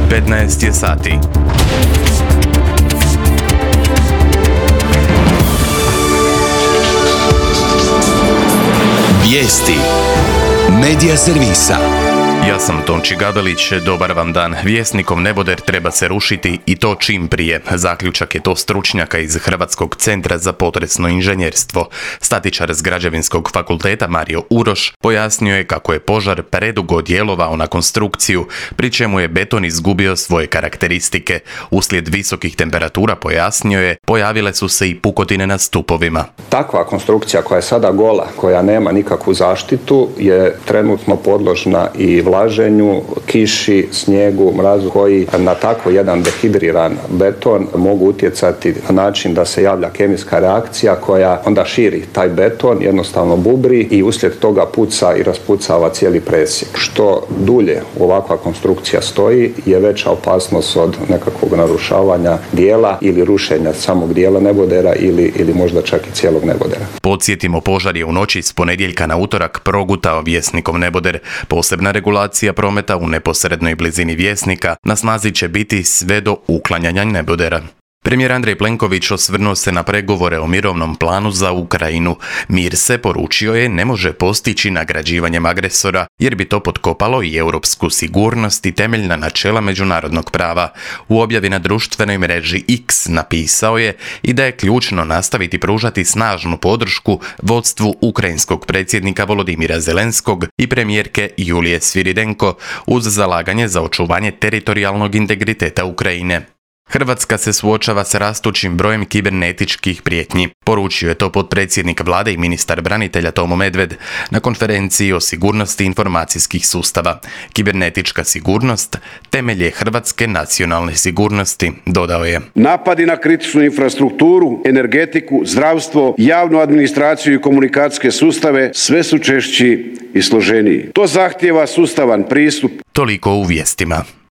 15 je sati. Vijesti Medija servisa. Ja sam Tonči Gabelić, dobar vam dan. Vjesnikov neboder treba se rušiti i to čim prije. Zaključak je to stručnjaka iz Hrvatskog centra za potresno inženjerstvo. Statičar s Građevinskog fakulteta Mario Uroš pojasnio je kako je požar predugo djelovao na konstrukciju, pri čemu je beton izgubio svoje karakteristike. Uslijed visokih temperatura, pojasnio je, pojavile su se i pukotine na stupovima. Takva konstrukcija koja je sada gola, koja nema nikakvu zaštitu, je trenutno podložna i vlaženju, kiši, snijegu, mrazu, koji na tako jedan dehidriran beton mogu utjecati na način da se javlja kemijska reakcija koja onda širi taj beton, jednostavno bubri i uslijed toga puca i raspucava cijeli presjek. Što dulje ovakva konstrukcija stoji, je veća opasnost od nekakvog narušavanja dijela ili rušenja samog dijela nebodera ili možda čak i cijelog nebodera. Podsjetimo, požar je u noći s ponedjeljka na utorak progutao Vjesnikov neboder. Posebna regulacija prometa u neposrednoj blizini Vjesnika na snazi će biti sve do uklanjanja nebodera. Premijer Andrej Plenković osvrnuo se na pregovore o mirovnom planu za Ukrajinu. Mir se, poručio je, ne može postići nagrađivanjem agresora, jer bi to potkopalo i europsku sigurnost i temeljna načela međunarodnog prava. U objavi na društvenoj mreži X napisao je i da je ključno nastaviti pružati snažnu podršku vodstvu ukrajinskog predsjednika Volodimira Zelenskog i premijerke Julije Sviridenko uz zalaganje za očuvanje teritorijalnog integriteta Ukrajine. Hrvatska se suočava s rastućim brojem kibernetičkih prijetnji. Poručio je to potpredsjednik vlade i ministar branitelja Tomo Medved na konferenciji o sigurnosti informacijskih sustava. Kibernetička sigurnost temelj je hrvatske nacionalne sigurnosti, dodao je. Napadi na kritičnu infrastrukturu, energetiku, zdravstvo, javnu administraciju i komunikacijske sustave sve su češći i složeniji. To zahtijeva sustavan pristup. Toliko u vijestima.